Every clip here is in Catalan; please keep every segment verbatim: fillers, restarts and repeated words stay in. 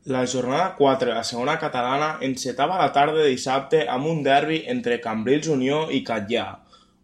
La jornada quatre de la segona catalana encetava la tarda de dissabte amb un derbi entre Cambrils Unió i Catllà,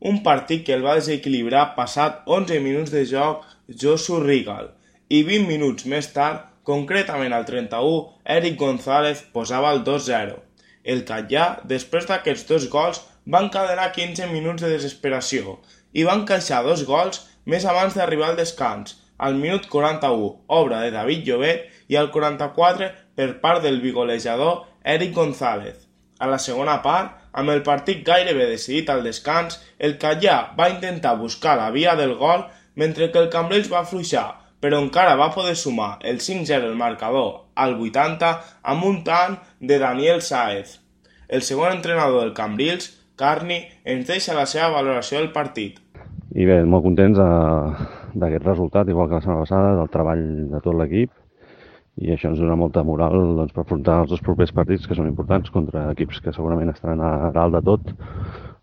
un partit que el va desequilibrar passat onze minuts de joc Josu Rigal i vint minuts més tard, concretament al trenta-u, Eric González posava el dos zero. El Catllà, després d'aquests dos gols, va encadenar quinze minuts de desesperació i va encaixar dos gols més abans d'arribar al descans, al minut quaranta-u, obra de David Llobet, i al quaranta-quatre per part del bigolejador Eric González. A la segona part, amb el partit gairebé decidit al descans, el Catllà va intentar buscar la via del gol mentre que el Cambrils va afluixar, però encara va poder sumar el cinc zero el marcador al vuitanta amb un tant de Daniel Sáez. El segon entrenador del Cambrils, Carni, ens deixa la seva valoració del partit. I bé, molt contents d'aquest resultat, igual que la setmana passada, del treball de tot l'equip, i això ens dona molta moral doncs, per afrontar els dos propers partits, que són importants, contra equips que segurament estaran a dalt de tot,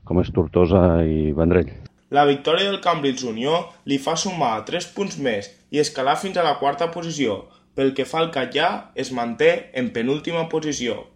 com és Tortosa i Vendrell. La victòria del Cambrils Unió li fa sumar tres punts més i escalar fins a la quarta posició. Pel que fa al Catllà, es manté en penúltima posició.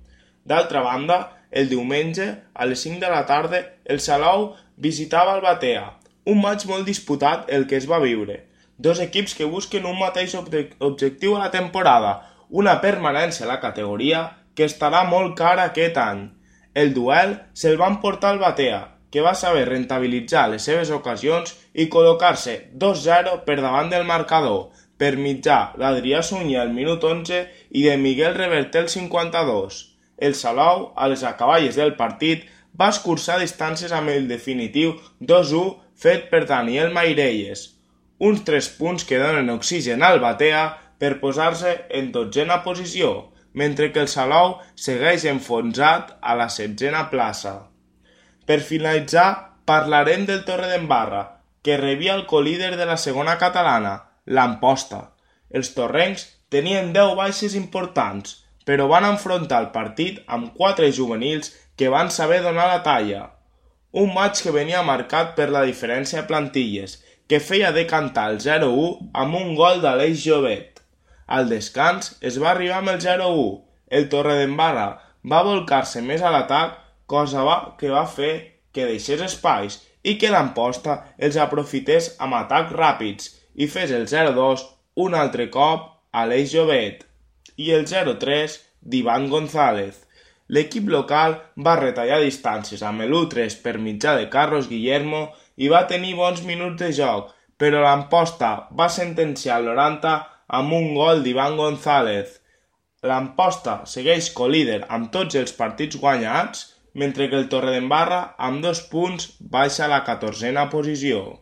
D'altra banda, el diumenge, a les cinc de la tarda, el Salou visitava el Batea, un maig molt disputat el que es va viure. Dos equips que busquen un mateix objectiu a la temporada, una permanència a la categoria que estarà molt cara aquest any. El duel se'l va emportar el Batea, que va saber rentabilitzar les seves ocasions i col·locar-se dos zero per davant del marcador, per mitjà d'Adrià Sunyer al minut onze i de Miguel Reverter al cinquanta-dos. El Salou, a les acaballes del partit, va escurçar distàncies amb el definitiu dos u fet per Daniel Mairelles. Uns tres punts que donen oxigen al Batea per posar-se en dotzena posició, mentre que el Salou segueix enfonsat a la setzena plaça. Per finalitzar, parlarem del Torredembarra, que rebia el colíder de la segona catalana, l'Amposta. Els torrencs tenien deu baixes importants, però van enfrontar el partit amb quatre juvenils que van saber donar la talla. Un maig que venia marcat per la diferència de plantilles, que feia decantar el zero u amb un gol d'Aleix Llobet. Al descans es va arribar amb el zero u. El Torredembarra va volcar-se més a l'atac, cosa que va fer que deixés espais i que l'Amposta els aprofités amb atacs ràpids i fes el zero dos un altre cop a Aleix Llobet i el zero tres d'Ivan González. L'equip local va retallar distàncies amb l'u tres per mitjà de Carlos Guillermo i va tenir bons minuts de joc, però l'Amposta va sentenciar el noranta amb un gol d'Ivan González. L'Amposta segueix colíder amb tots els partits guanyats, mentre que el Torredembarra, amb dos punts, baixa a la catorzena posició.